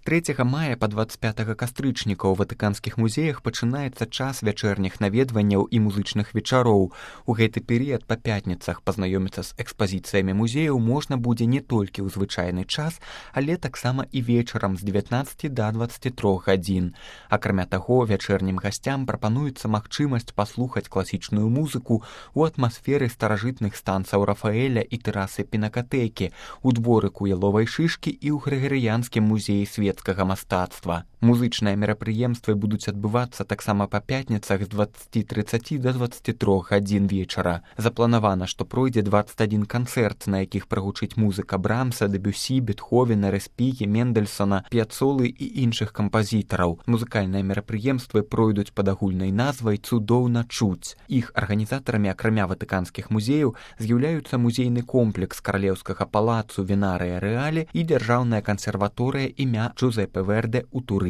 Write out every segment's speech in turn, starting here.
23 мая па 25 кастрычніка ў ватыканскіх музеях пачынаецца час вячэрніх наведванняў і музычных вечароў. У гэты перыяд па пятніцах пазнаёміцца з экспазіцыямі музеяў можна будзе не толькі ў звычайны час, але таксама і вечарам з 19 да 23 гадзін. Акрамя таго, вячэрнім гасцям прапануецца магчымасць паслухаць класічную музыку ў атмасферы старажытных станцаў Рафаэля і тэрасы Пінакатэкі, у дворыку Яловай шышкі і ў Грыгарыянскім музеі светскага мастацтва. Музычныя мерапрыемствы будуць адбывацца таксама па пятніцах з 20:30 да 23 гадзін вечара. Запланавана, што пройдзе 21 канцэрт, на якіх прагучыць музыка Брамса, Дэбюсі, Бетховена, Рэспігі, Мендельсона, П'яцолы і іншых кампазітараў. Музыкальныя мерапрыемствы пройдуць пад агульнай назвай «Цудоўна чуць». Іх арганізатарамі, акрамя ватыканскіх музеяў, з'яўляюцца музейны комплекс Каралеўскага палацу Вінарыя Рэалі і дзяржаўная кансерваторыя імя Джузепе Верде ў Турыне.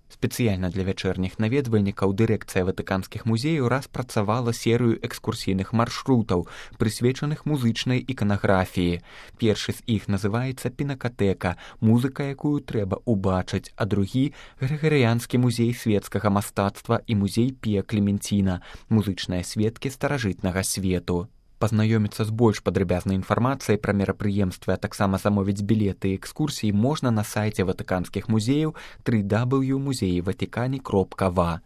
Спецыяльна для вячэрніх наведвальнікаў дырэкцыя ватыканскіх музеяў распрацавала серыю экскурсійных маршрутаў, прысвечаных музычнай іканаграфіі. Першы з іх называецца «Пінакатэка», музыка, якую трэба ўбачыць, а другі – Грыгарыянскі музей светскага мастацтва і музей Пія Клеменціна, музычныя сведкі старажытнага свету. Пазнаёміцца з больш падрабязнай інфармацыяй пра мерапрыемствы, а таксама замовіць білеты і экскурсіі можна на сайце ватыканскіх музеяў www.muzeivatican.va.